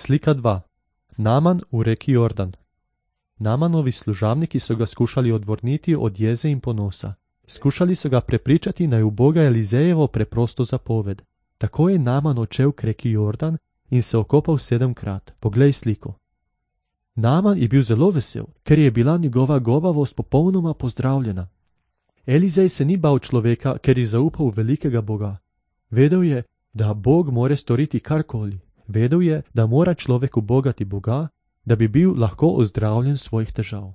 Slika 2. Naman v reki Jordan. Namanovi služabniki so ga skušali odvrniti od jeze in ponosa. Skušali so ga prepričati naj uboga Elizejevo preprosto zapoved. Tako je Naman odšel k reki Jordan in se okopal 7-krat. Poglej sliko. Naman je bil zelo vesel, ker je bila njegova gobavost popolnoma pozdravljena. Elizej se ni bal človeka, ker je zaupal v velikega Boga. Vedel je, da Bog more storiti karkoli. Vedel je, da mora človek ubogati Boga, da bi bil lahko ozdravljen svojih težav.